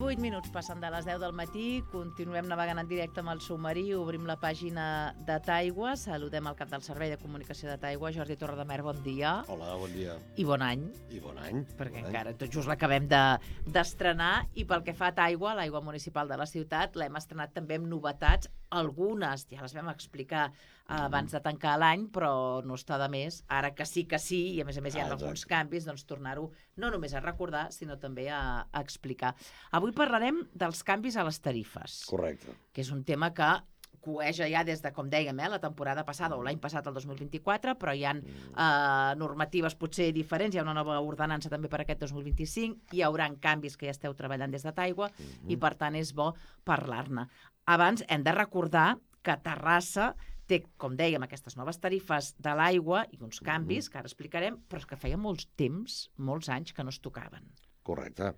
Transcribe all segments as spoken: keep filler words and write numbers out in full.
vuit minuts passen de les deu del matí, continuem navegant en directe amb el submarí, obrim la pàgina de Taigua, saludem el cap del Servei de Comunicació de Taigua, Jordi Torredemer, bon dia. Hola, bon dia. I bon any. I bon any. Perquè bon encara any. tot just l'acabem d'estrenar, de, i pel que fa a Taigua, l'aigua municipal de la ciutat, l'hem estrenat també amb novetats, algunes ja les vam explicar eh, abans de tancar l'any, però no està de més, ara que sí que sí, i a més a més hi ha Ah, alguns exacte. canvis, doncs tornar-ho no només a recordar, sinó també a, a explicar. Avui parlarem dels canvis a les tarifes, Correcte. que és un tema que coeja ja des de, com dèiem, eh, la temporada passada o l'any passat, el dos mil vint-i-quatre, però hi ha eh, normatives potser diferents, hi ha una nova ordenança també per aquest dos mil vint-i-cinc, hi haurà canvis que ja esteu treballant des de Taigua i per tant és bo parlar-ne. Abans hem de recordar que Terrassa té, com dèiem, aquestes noves tarifes de l'aigua i uns canvis que ara explicarem, però és que feia molts temps, molts anys que no es tocaven. Correcte.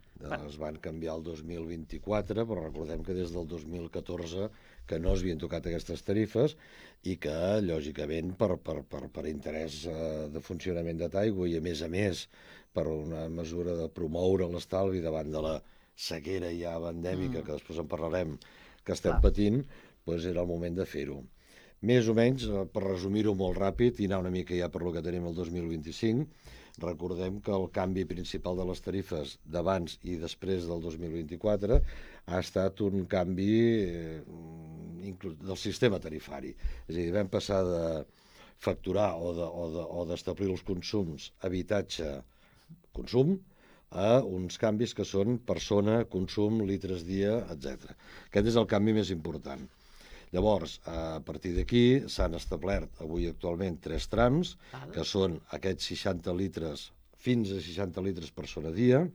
Es van canviar el dos mil vint-i-quatre, però recordem que des del dos mil catorze que no es havien tocat aquestes tarifes i que, lògicament, per, per, per, per interès eh, de funcionament de Taigua i, a més a més, per una mesura de promoure l'estalvi davant de la sequera ja endèmica, mm. que després en parlarem, que estem Clar. patint, doncs era el moment de fer-ho. Més o menys, eh, per resumir-ho molt ràpid i anar una mica ja per lo que tenim el dos mil vint-i-cinc, recordem que el canvi principal de les tarifes d'abans i després del dos mil vint-i-quatre ha estat un canvi eh, del sistema tarifari. És a dir, vam passar de facturar o de, o de, o d'establir els consums habitatge-consum a uns canvis que són persona, consum, litres dia, etcètera. Aquest és el canvi més important. Llavors, a partir d'aquí s'han establert avui actualment tres trams, Val. que són aquests seixanta litres, fins a seixanta litres persona dia,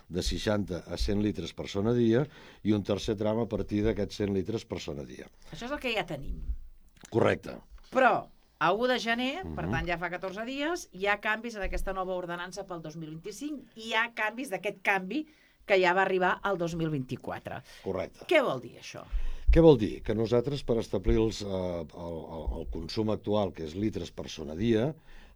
de seixanta a cent litres persona dia, i un tercer tram a partir d'aquests cent litres persona dia. Això és el que ja tenim. Correcte. Però a u de gener, per tant ja fa catorze dies, hi ha canvis en aquesta nova ordenança pel dos mil vint-i-cinc i hi ha canvis d'aquest canvi que ja va arribar al dos mil vint-i-quatre. Correcte. Què vol dir això? Què vol dir? Que nosaltres, per establir els, eh, el, el, el consum actual, que és litres persona dia,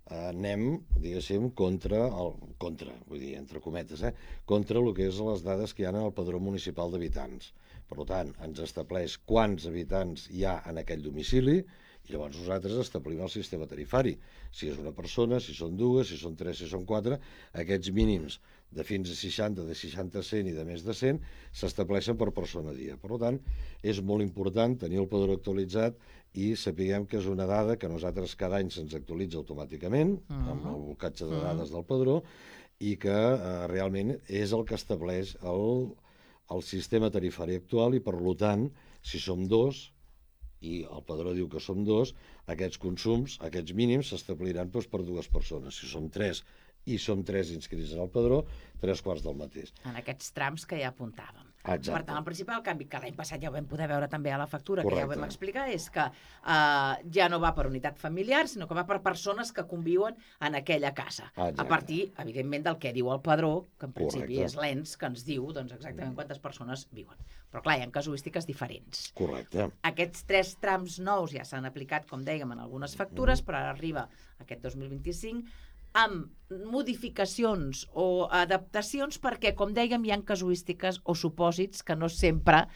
eh, anem, diguéssim, contra, el, contra, vull dir, entre cometes, eh, contra el que és les dades que hi ha en el padró municipal d'habitants. Per tant, ens estableix quants habitants hi ha en aquell domicili i llavors nosaltres establim el sistema tarifari. Si és una persona, si són dues, si són tres, si són quatre, aquests mínims de fins a seixanta, de seixanta a cent i de més de cent s'estableixen per persona dia. Per tant, és molt important tenir el padró actualitzat i sapiguem que és una dada que nosaltres cada any se'ns actualitza automàticament uh-huh. amb el blocatge de dades del padró i que eh, realment és el que estableix el, el sistema tarifari actual i, per tant, si som dos, i el padró diu que som dos, aquests consums, aquests mínims, s'establiran doncs, per dues persones. Si som tres i som tres inscrits en el padró, tres quarts del mateix. En aquests trams que ja apuntàvem. Exacte. Per tant, el principal canvi, que l'any passat ja ho vam poder veure també a la factura, Correcte. que ja ho vam explicar, és que eh, ja no va per unitat familiar, sinó que va per persones que conviuen en aquella casa. Exacte. A partir, evidentment, del que diu el padró, que en principi Correcte. és l'ens que ens diu doncs, exactament quantes persones viuen. Però clar, hi ha casuístiques diferents. Correcte. Aquests tres trams nous ja s'han aplicat, com dèiem, en algunes factures, però ara arriba aquest dos mil vint-i-cinc amb modificacions o adaptacions perquè, com dèiem, hi ha casuístiques o supòsits que no sempre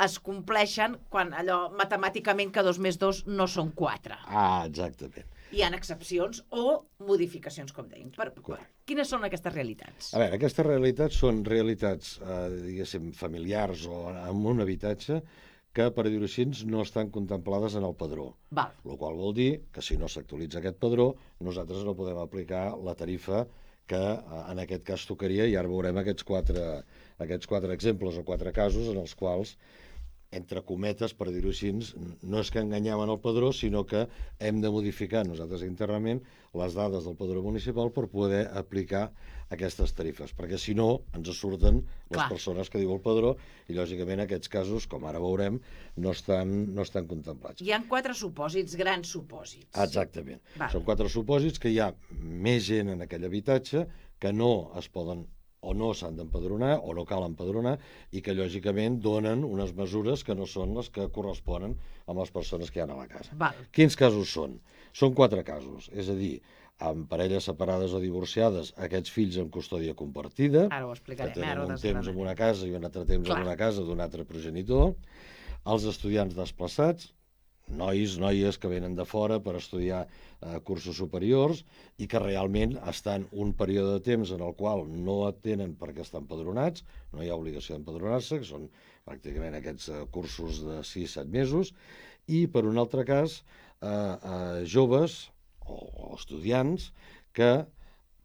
es compleixen quan allò matemàticament que dos més dos no són quatre. Ah, exactament. Hi ha excepcions o modificacions, com dèiem. Per, per, quines són aquestes realitats? A veure, aquestes realitats són realitats, eh, diguéssim, familiars o en un habitatge que, per dir-ho així, no estan contemplades en el padró. Val. El qual vol dir que si no s'actualitza aquest padró, nosaltres no podem aplicar la tarifa que en aquest cas tocaria, i ara veurem aquests quatre, aquests quatre exemples o quatre casos en els quals, entre cometes, per dir-ho així, no és que enganyem en el padró, sinó que hem de modificar nosaltres internament les dades del padró municipal per poder aplicar aquestes tarifes, perquè si no ens surten les Clar. persones que diu el padró i lògicament aquests casos, com ara veurem, no estan, no estan contemplats. Hi ha quatre supòsits, grans supòsits. Exactament. Val. Són quatre supòsits que hi ha més gent en aquell habitatge que no es poden o no s'han d'empadronar o no cal empadronar i que lògicament donen unes mesures que no són les que corresponen amb les persones que hi ha a la casa. Val. Quins casos són? Són quatre casos, és a dir, amb parelles separades o divorciades, aquests fills en custòdia compartida, Ara ho que explicarem. tenen Ara ho un temps en desgranarem. una casa i un altre temps Clar. en una casa d'un altre progenitor, els estudiants desplaçats, nois, noies que venen de fora per estudiar eh, cursos superiors i que realment estan un període de temps en el qual no tenen perquè estan empadronats, no hi ha obligació d'empadronar-se, que són pràcticament aquests eh, cursos de sis set mesos, i per un altre cas, eh, eh, joves o, o estudiants que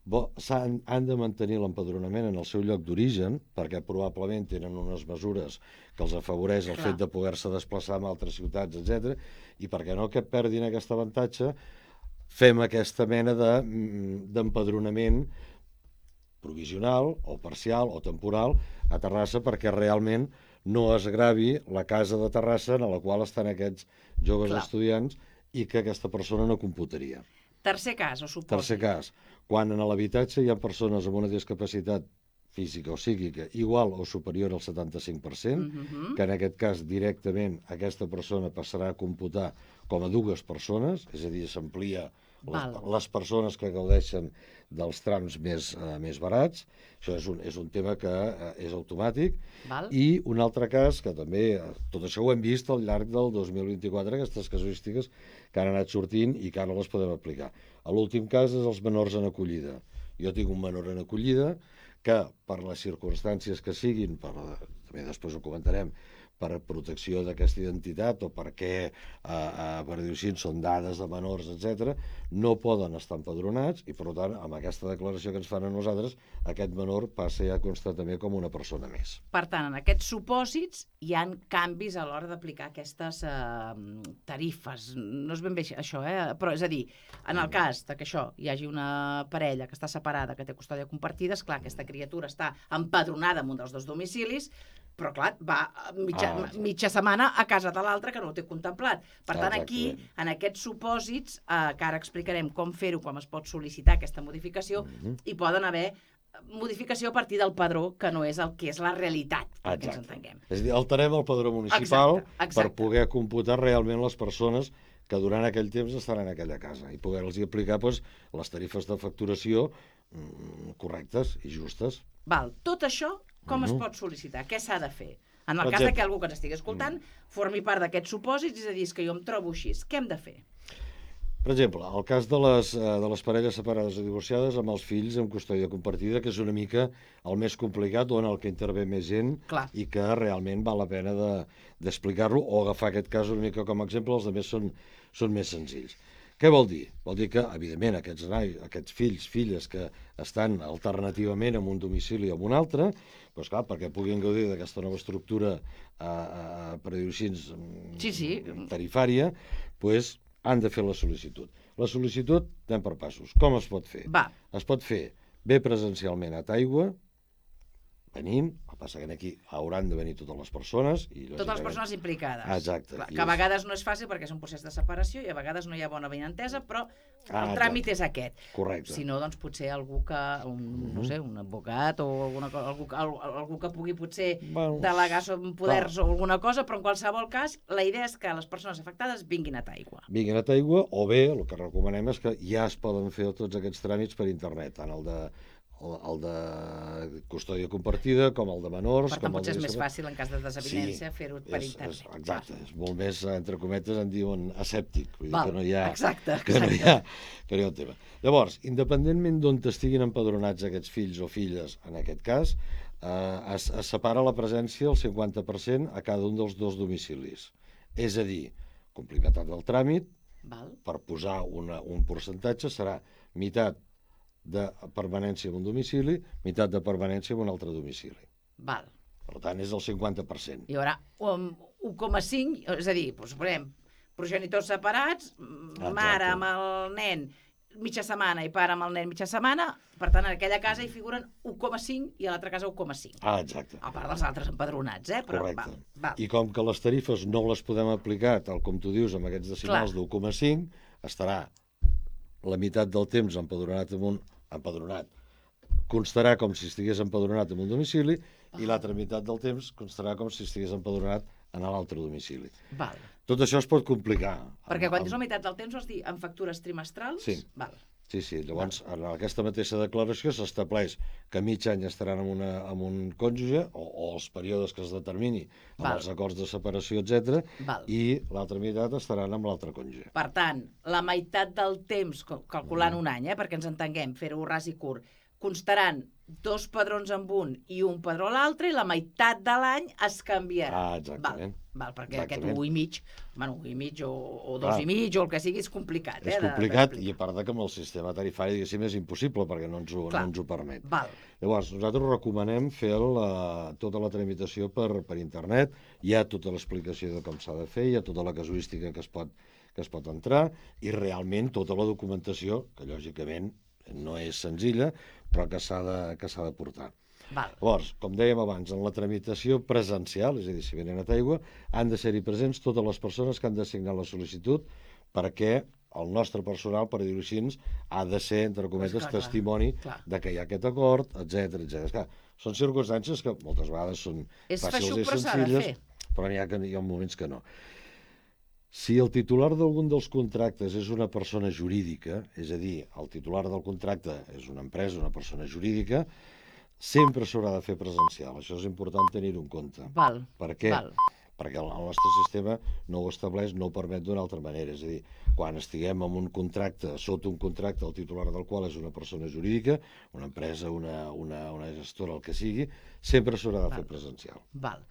bo, han, han de mantenir l'empadronament en el seu lloc d'origen perquè probablement tenen unes mesures que els afavoreix el Clar. fet de poder-se desplaçar a altres ciutats, etcètera, i perquè no que perdin aquest avantatge, fem aquesta mena de, d'empadronament provisional o parcial o temporal a Terrassa perquè realment no es gravi la casa de Terrassa en la qual estan aquests joves Clar. estudiants i que aquesta persona no computaria. Tercer cas, o supòsit. Tercer cas, quan en l'habitatge hi ha persones amb una discapacitat física o psíquica igual o superior al setanta-cinc per cent, Mhm. que en aquest cas directament aquesta persona passarà a computar com a dues persones, és a dir, s'amplia les, Val. les persones que gaudeixen dels trams més, eh, més barats. Això és un, és un tema que eh, és automàtic. Val? I un altre cas, que també, eh, tot això ho hem vist al llarg del dos mil vint-i-quatre, aquestes casuístiques que han anat sortint i que ara les podem aplicar. L'últim cas és els menors en acollida. Jo tinc un menor en acollida que, per les circumstàncies que siguin, per, també després ho comentarem, per protecció d'aquesta identitat o perquè, eh, eh, per dir-ho així, són dades de menors, etcètera, no poden estar empadronats i, per tant, amb aquesta declaració que ens fan a nosaltres, aquest menor passa ja a constar també com una persona més. Per tant, en aquests supòsits hi han canvis a l'hora d'aplicar aquestes eh, tarifes. No és ben bé això, eh? Però és a dir, en el cas de que això hi hagi una parella que està separada, que té custòdia compartida, esclar, aquesta criatura està empadronada en un dels dos domicilis, però clar, va mitja, Ah, mitja setmana a casa de l'altre que no ho té contemplat. Per tant, aquí, Exactament. en aquests supòsits, eh, que ara explicarem com fer-ho, com es pot sol·licitar aquesta modificació, Mhm. hi poden haver modificació a partir del padró, que no és el que és la realitat, perquè ens Exacte. entenguem. És a dir, alterem el padró municipal Exacte, exacte. per poder computar realment les persones que durant aquell temps estaran en aquella casa i poder-los aplicar doncs, les tarifes de facturació mm, correctes i justes. Val, tot això com es Mhm. pot sol·licitar? Què s'ha de fer? En el Per cas de exemple. que algú que ens estigui escoltant formi part d'aquests supòsits, és a dir, és que jo em trobo així, què hem de fer? Per exemple, el cas de les, eh, de les parelles separades o divorciades amb els fills en custòdia compartida, que és una mica el més complicat, on el que intervé més gent Clar. i que realment val la pena de, d'explicar-lo o agafar aquest cas una mica com a exemple, els altres són, són més senzills. Què vol dir? Vol dir que, evidentment, aquests, noi, aquests fills, filles que estan alternativament en un domicili o en un altre, doncs clar, perquè puguin gaudir d'aquesta nova estructura eh, eh, per dir-ho així, Sí, sí. tarifària, doncs han de fer la sol·licitud. La sol·licitud anem per passos. Com es pot fer? Va, Es pot fer bé presencialment a Taigua, venint, el que passa que aquí hauran de venir totes les persones. I, totes les lògicament, persones implicades. Exacte. Clar, I que a és- vegades no és fàcil perquè és un procés de separació i a vegades no hi ha bona benentesa, però Ah, el tràmit exacte. és aquest. Correcte. Si no, doncs potser algú que, un, no sé, un advocat o alguna cosa, algú, algú, algú que pugui potser Bueno, delegar sobre poders o alguna cosa, però en qualsevol cas la idea és que les persones afectades vinguin a Taigua. Vinguin a Taigua, o bé, el que recomanem és que ja es poden fer tots aquests tràmits per internet, tant el de, el, el de custòdia compartida com el de menors. Per tant, com el potser de és més discapacitat. fàcil en cas de desavinença Sí, fer-ho per És, internet. és, exacte, és molt més, entre cometes, en diuen asèptic, vull dir Val, que no hi ha, exacte, que no hi exacte. ha, que no hi ha un tema. Llavors, independentment d'on estiguin empadronats aquests fills o filles, en aquest cas, eh, es, es separa la presència al cinquanta per cent a cada un dels dos domicilis. És a dir, complimentat del tràmit, Val? per posar una, un percentatge, serà meitat de permanència en un domicili, meitat de permanència en un altre domicili. Val. Per tant, és el cinquanta per cent. Hi haurà un un coma cinc, és a dir, doncs, suposem, progenitors separats, Exacte. mare amb el nen mitja setmana i pare amb el nen mitja setmana, per tant, en aquella casa hi figuren un coma cinc i a l'altra casa un coma cinc. Ah, exacte. A part dels altres empadronats, eh? Però, Correcte. val, val. I com que les tarifes no les podem aplicar, tal com tu dius, amb aquests decimals Clar. d'u coma cinc, estarà la meitat del temps empadronat en un... empadronat. Constarà com si estigués empadronat en un domicili i l'altra meitat del temps constarà com si estigués empadronat en l'altre domicili. Val. Tot això es pot complicar. Perquè amb- quan dius amb- la meitat del temps vols dir en factures trimestrals? Sí. Val. Sí, sí. Llavors, en aquesta mateixa declaració s'estableix que mig any estaran amb, una, amb un cònjuge, o, o els períodes que es determini amb Val. els acords de separació, etcètera, Val. i l'altra meitat estaran amb l'altre cònjuge. Per tant, la meitat del temps, cal- calculant un any, eh, perquè ens entenguem, fer-ho ras i curt, constaran dos padrons amb un i un padró a l'altre, i la meitat de l'any es canviarà. Ah, exactament. Val, val perquè Exactament. aquest un i mig, bueno, un i mig o, o dos Clar. i mig o el que sigui és complicat. És eh, complicat de- i a part de que amb el sistema tarifari, diguéssim, és impossible perquè no ens ho, Clar. no ens ho permet. Val, Llavors, nosaltres recomanem fer la, tota la tramitació per, per internet, hi ha tota l'explicació de com s'ha de fer, hi ha tota la casuística que es pot, que es pot entrar, i realment tota la documentació, que lògicament no és senzilla, però que s'ha de, que s'ha de portar. val. Llavors, com dèiem abans, en la tramitació presencial, és a dir, si venen a Taigua, han de ser-hi presents totes les persones que han de signar la sol·licitud perquè el nostre personal, per dir-ho així, ha de ser, entre cometes, Clar, clar, testimoni clar. de que hi ha aquest acord, etcètera, etcètera. Són circumstàncies que moltes vegades són És fàcils feixuc, i però s'ha de senzilles, fer. però n'hi ha, que, hi ha moments que no. Si el titular d'algun dels contractes és una persona jurídica, és a dir, el titular del contracte és una empresa, una persona jurídica, sempre s'haurà de fer presencial. Això és important tenir-ho en compte. Val, Per què? val. Perquè el el nostre sistema no ho estableix, no ho permet d'una altra manera. És a dir, quan estiguem en un contracte, sota un contracte, el titular del qual és una persona jurídica, una empresa, una, una, una gestora, el que sigui, sempre s'haurà de fer Val. presencial. Val.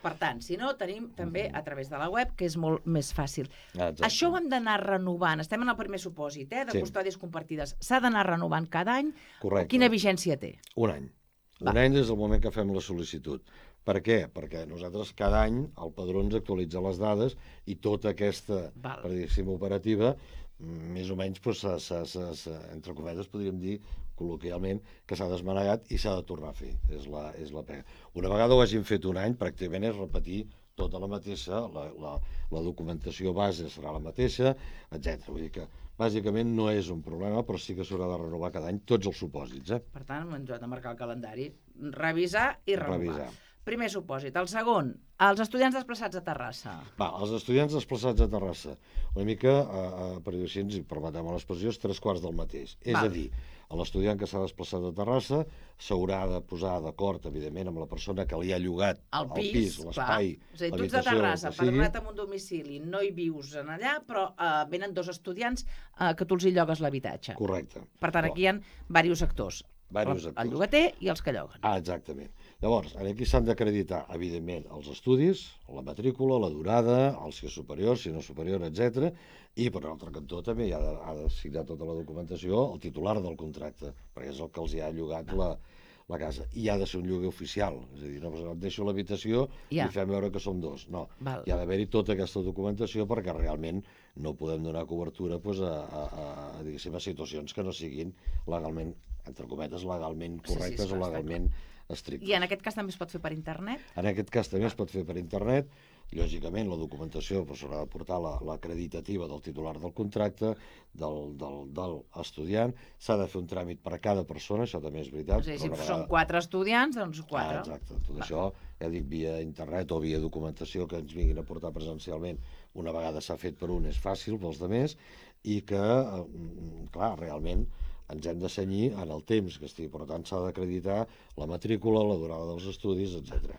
Per tant, si no, tenim també a través de la web, que és molt més fàcil. Ah, exacte. Això ho hem d'anar renovant. Estem en el primer supòsit, eh, de Sí. custòdies compartides. S'ha d'anar renovant cada any? Correcte. Quina vigència té? Un any. Va. Un any des del moment que fem la sol·licitud. Per què? Perquè nosaltres cada any el padró ens actualitza les dades i tota aquesta, Val. per dir-ho operativa, mm, més o menys, doncs, s'ha- s'ha- s'ha- s'ha- entre cometes, podríem dir, col·loquialment, que s'ha desmanegat i s'ha de tornar a fer. És la, és la pega. Una vegada ho hagin fet un any, pràcticament és repetir tota la mateixa, la, la, la documentació base serà la mateixa, etcètera. Vull dir que, bàsicament, no és un problema, però sí que s'haurà de renovar cada any tots els supòsits, eh? Per tant, ens ho hem de marcar el calendari. Revisar i renovar. Revisar. Primer supòsit. El segon, els estudiants desplaçats a Terrassa. Va, els estudiants desplaçats a Terrassa, una mica, eh, eh, per dir-ho així, si permetem l'expressió, és tres quarts del mateix. És Val. a dir, l'estudiant que s'ha desplaçat a Terrassa s'haurà de posar d'acord, evidentment, amb la persona que li ha llogat El pis, pis, clar. l'espai, És a dir, tu ets de l'habitació, el Terrassa, que sigui. padronat amb un domicili, no hi vius en allà, però eh, venen dos estudiants eh, que tu els hi llogues l'habitatge. Correcte. Per tant, aquí hi ha diversos actors. Diversos El- actors. El llogater i els que lloguen. Ah, exactament. Llavors, aquí s'han d'acreditar, evidentment, els estudis, la matrícula, la durada, el si és superior, si no és superior, etcètera. I, per un altre cantó, també hi ha de, ha de signar tota la documentació el titular del contracte, perquè és el que els hi ha llogat la, la casa. I ha de ser un lloguer oficial, és a dir, no et deixo l'habitació Ja. i fem veure que som dos. No, Val. hi ha d'haver-hi tota aquesta documentació perquè realment no podem donar cobertura doncs, a, a, a, a, diguéssim, a situacions que no siguin legalment, entre cometes, legalment Sí, sí, correctes està- o està legalment estrictes. I en aquest cas també es pot fer per internet? En aquest cas també es pot fer per internet. Lògicament, la documentació doncs, s'haurà de portar la- l'acreditativa del titular del contracte, del, del, del estudiant. S'ha de fer un tràmit per a cada persona, això també és veritat. És a dir, però si una són vegada- quatre estudiants, doncs Ah, quatre. exacte. Tot això, ja dic, via internet o via documentació que ens vinguin a portar presencialment, una vegada s'ha fet per un és fàcil pels altres, i que, eh, clar, realment ens hem de cenyir en el temps que estigui. Per tant, s'ha d'acreditar la matrícula, la durada dels estudis, etcètera.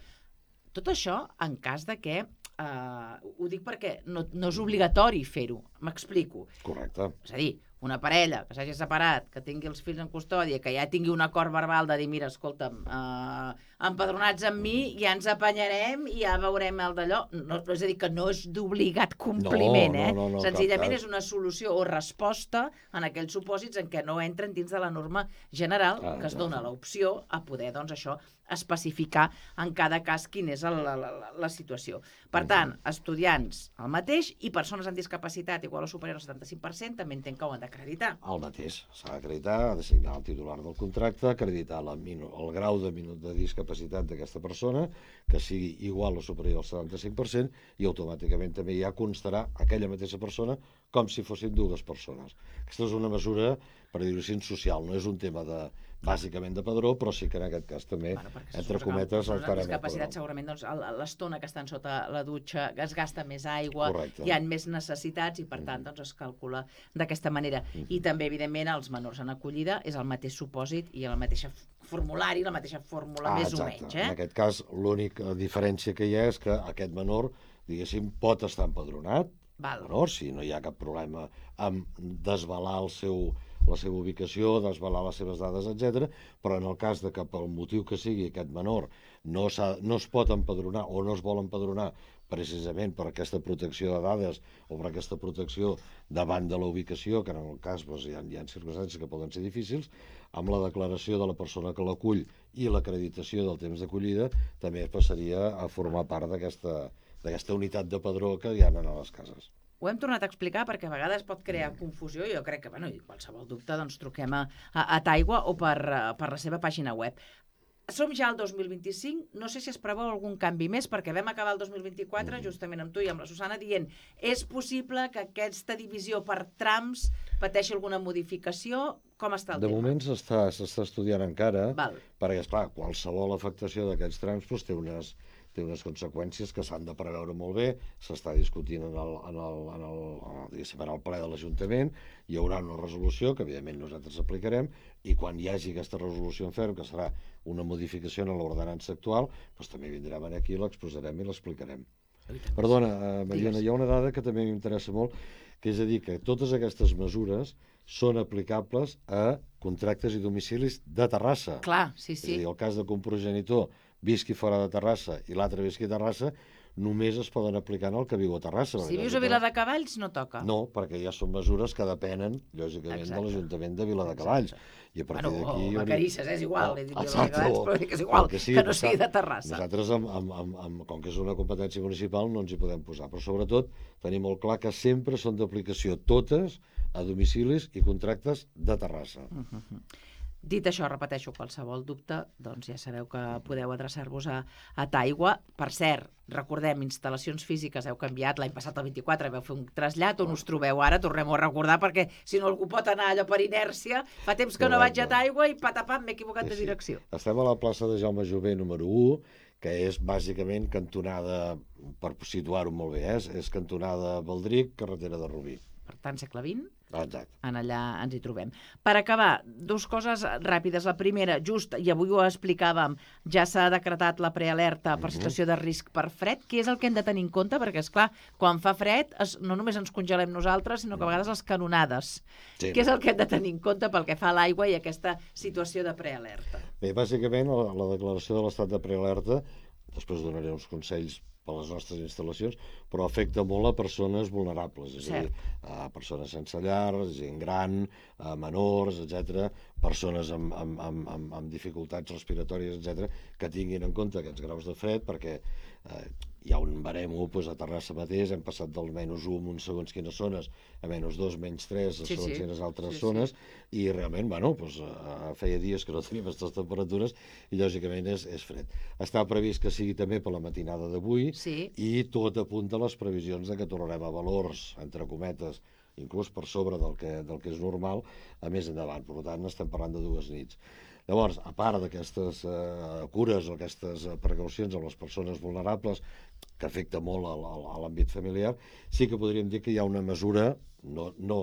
Tot això en cas de que... Eh, ho dic perquè no, no és obligatori fer-ho. M'explico. Correcte. És a dir, una parella que s'hagi separat, que tingui els fills en custòdia, que ja tingui un acord verbal de dir, mira, escolta'm, eh, empadronats amb mi, ja ens apanyarem i ja veurem el d'allò. No, és a dir, que no és d'obligat compliment, No, no, eh? no, no, Senzillament cap és una solució o resposta en aquells supòsits en què no entren dins de la norma general, Ah, que es exacte. dona l'opció a poder, doncs, això, especificar en cada cas quina és el, la, la, la situació. Per tant, estudiants el mateix i persones amb discapacitat igual o superior al setanta-cinc per cent també entenc que ho han d'acreditar. El mateix. S'ha d'acreditar, ha de signar el titular del contracte, acreditar la minu, el grau de, minu, de discapacitat d'aquesta persona, que sigui igual o superior al setanta-cinc per cent, i automàticament també ja constarà aquella mateixa persona com si fossin dues persones. Aquesta és una mesura, per dir-ho així, social, no és un tema de bàsicament de padró, però sí que en aquest cas també, bueno, entre cometes, el encara discapacitat segurament doncs, l'estona que estan sota la dutxa es gasta més aigua, Correcte. hi ha més necessitats i per tant doncs, es calcula d'aquesta manera. Mm-hmm. I també, evidentment, els menors en acollida és el mateix supòsit i el mateix formulari, la mateixa fórmula, ah, més exacte. o menys. Eh? En aquest cas, l'única diferència que hi ha és que aquest menor, diguéssim, pot estar empadronat, Val. menor, si no hi ha cap problema amb desvelar el seu, la seva ubicació, desvelar les seves dades, etcètera, però en el cas de que pel motiu que sigui aquest menor no, no es pot empadronar o no es vol empadronar precisament per aquesta protecció de dades o per aquesta protecció davant de la ubicació, que en el cas doncs, hi, ha, hi ha circumstàncies que poden ser difícils, amb la declaració de la persona que l'acull i l'acreditació del temps d'acollida també passaria a formar part d'aquesta d'aquesta unitat de padró que hi ha a les cases. Ho hem tornat a explicar perquè a vegades pot crear confusió i jo crec que, bueno, i qualsevol dubte, doncs truquem a, a, a Taigua o per, per la seva pàgina web. Som ja al dos mil vint-i-cinc, no sé si es preveu algun canvi més, perquè vam acabar el dos mil vint-i-quatre, mm. justament amb tu i amb la Susana, dient és possible que aquesta divisió per trams pateixi alguna modificació? Com està el de tema? De moment s'està estudiant encara, Val. perquè, esclar, qualsevol afectació d'aquests trams doncs, té unes té unes conseqüències que s'han de preveure molt bé, s'està discutint en el, en el, en el, en el ple de l'Ajuntament, hi haurà una resolució que evidentment nosaltres aplicarem i quan hi hagi aquesta resolució en ferm, que serà una modificació en l'ordenança actual, doncs també vindrem aquí, l'exposarem i l'explicarem. Perdona, eh, Mariona, hi ha una dada que també m'interessa molt, que és a dir, que totes aquestes mesures són aplicables a contractes i domicilis de Terrassa. Clar, sí, sí. És a dir, el cas de que un progenitor visqui fora de Terrassa i l'altre visqui a Terrassa, només es poden aplicar en el que viu a Terrassa. Si vius a Viladecavalls, no toca. No, perquè ja són mesures que depenen, lògicament, Exacte. de l'Ajuntament de Viladecavalls. I a partir bueno, d'aquí... o Vacarisses, és igual, oh, he dit Viladecavalls, però que és igual, que, sí, que no sigui de Terrassa. Nosaltres, amb, amb, amb, amb, com que és una competència municipal, no ens hi podem posar, però sobretot tenim molt clar que sempre són d'aplicació totes a domicilis i contractes de Terrassa. Uh -huh. Dit això, repeteixo, qualsevol dubte, doncs ja sabeu que podeu adreçar-vos a, a Taigua. Per cert, recordem, instal·lacions físiques heu canviat, l'any passat el vint-i-quatre veu fer un trasllat, on us trobeu ara, tornem-ho a recordar, perquè si no algú pot anar allò per inèrcia, fa temps que no vaig a Taigua i patapam, m'he equivocat sí, de direcció. Sí. Estem a la plaça de Jaume Jové número u, que és bàsicament cantonada, per situar-ho molt bé, eh? és cantonada Baldric, carretera de Rubí. Per tant, segle vint. Exacte. En allà ens hi trobem. Per acabar, dues coses ràpides. La primera, just, i avui ho explicàvem, ja s'ha decretat la prealerta per situació de risc per fred. Què és el que hem de tenir en compte? Perquè, és clar, quan fa fred, es, no només ens congelem nosaltres, sinó que a vegades les canonades. Sí. Què és el que hem de tenir en compte pel que fa a l'aigua i aquesta situació de prealerta? Bé, bàsicament, la, la declaració de l'estat de prealerta, després donaré uns consells per les nostres instal·lacions, però afecta molt a persones vulnerables, és Cert. a dir, a persones sense llar, gent gran, a menors, etcètera, persones amb, amb, amb, amb, amb dificultats respiratòries, etcètera, que tinguin en compte aquests graus de fred, perquè eh, hi ha un baremo doncs, a Terrassa mateix, hem passat del menys un en segons quines zones a menys dos, menys tres, a sí, segons sí. quines altres sí, zones, sí. i realment, bueno, doncs, eh, feia dies que no tenim aquestes temperatures i lògicament és, és fred. Està previst que sigui també per la matinada d'avui sí. i tot apunta a les previsions de que tornarem a valors, entre cometes, inclús per sobre del que, del que és normal, a més endavant. Per tant, estem parlant de dues nits. Llavors, a part d'aquestes eh, cures o aquestes precaucions amb les persones vulnerables, que afecta molt a, a l'àmbit familiar, sí que podríem dir que hi ha una mesura, no, no,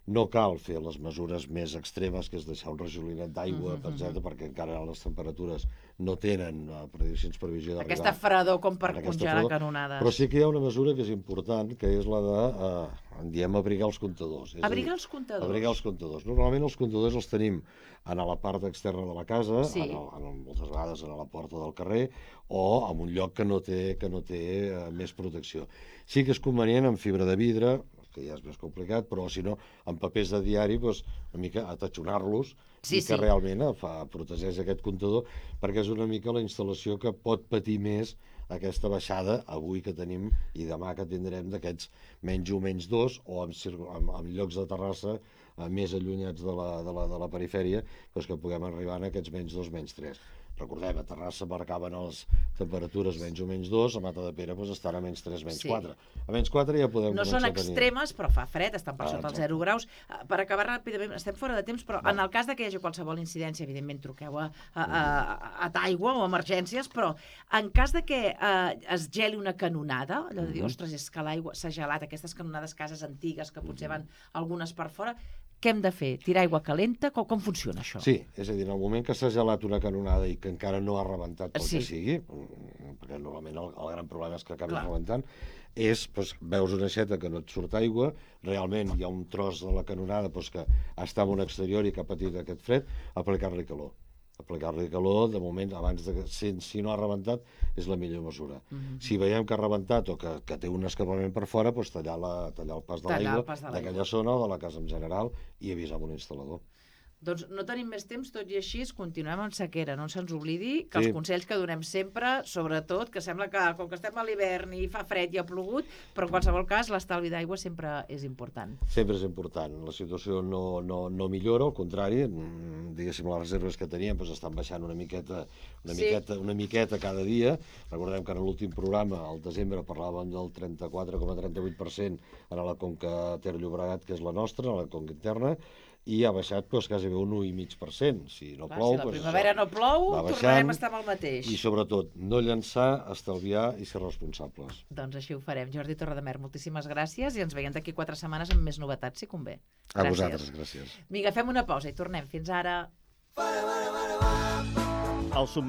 no cal fer les mesures més extremes, que és deixar un rajolinet d'aigua, uh -huh, etcètera, uh -huh. perquè encara les temperatures no tenen uh, prediccions previsió d'arribar. Aquesta fredor com per congelar canonades. Però sí que hi ha una mesura que és important, que és la de, uh, en diem, abrigar els comptadors. És abrigar dir, els comptadors? Abrigar els comptadors. Normalment els comptadors els tenim a la part externa de la casa, sí. en el, en, moltes vegades a la porta del carrer, o en un lloc que no té, que no té uh, més protecció. Sí que és convenient amb fibra de vidre, que ja és més complicat, però si no, amb papers de diari, doncs, una mica atatxonar-los sí, i que sí. realment fa, protegeix aquest comptador, perquè és una mica la instal·lació que pot patir més aquesta baixada avui que tenim i demà que tindrem d'aquests menys un, menys dos, o en, en, en llocs de Terrassa eh, més allunyats de la, de la, de la perifèria, doncs que puguem arribar a aquests menys dos, menys tres. Recordem, a Terrassa marcaven les temperatures menys o menys dos, a Matadepera doncs, estan a menys tres, menys Sí. quatre. A menys quatre ja podem No començar són a tenir... extremes, però fa fred, estan per Ah, sota els exacte. zero graus. Eh, Per acabar ràpidament, estem fora de temps, però Va. en el cas de que hi hagi qualsevol incidència, evidentment truqueu a, a, a, a d'aigua o emergències, però en cas de que eh, es geli una canonada, allò de dir, Mhm. ostres, és que l'aigua s'ha gelat, aquestes canonades cases antigues, que potser van algunes per fora, què hem de fer? Tirar aigua calenta? Com, com funciona això? Sí, és a dir, en el moment que s'ha gelat una canonada i que encara no ha rebentat pel Sí. que sigui, mm, perquè normalment el, el gran problema és que acabi Clar. rebentant, és, doncs, veus una aixeta que no et surt aigua, realment hi ha un tros de la canonada doncs, que està en un exterior i que ha patit aquest fred, aplicar-li calor. Aplicar-li calor, de moment, abans de que, si, si no ha rebentat, és la millor mesura. Mhm. Si veiem que ha rebentat o que, que té un escapament per fora, doncs tallar, la, tallar el pas de Tallar el l'aigua pas de l'aigua. d'aquella zona o de la casa en general i avisar amb un instal·lador. Doncs no tenim més temps, tot i així continuem amb sequera. No se'ns oblidi que Sí. els consells que donem sempre, sobretot, que sembla que com que estem a l'hivern i fa fred i ha plogut, però en qualsevol cas l'estalvi d'aigua sempre és important. Sempre és important. La situació no, no, no millora, al contrari, mm, diguéssim, les reserves que teníem doncs, estan baixant una miqueta, una, Sí. miqueta, una miqueta cada dia. Recordem que en l'últim programa, al desembre, parlàvem del trenta-quatre coma trenta-vuit per cent a la conca Ter-Llobregat, que és la nostra, a la conca interna, i ha baixat doncs, quasi bé un u coma cinc per cent. Si no Clar, plou, si la doncs, primavera això no plou, va baixant. tornarem a estar amb el mateix. I sobretot, no llençar, estalviar i ser responsables. Doncs així ho farem. Jordi Torredemer, moltíssimes gràcies i ens veiem d'aquí quatre setmanes amb més novetats, si convé. A vosaltres, gràcies. Vinga, fem una pausa i tornem. Fins ara. El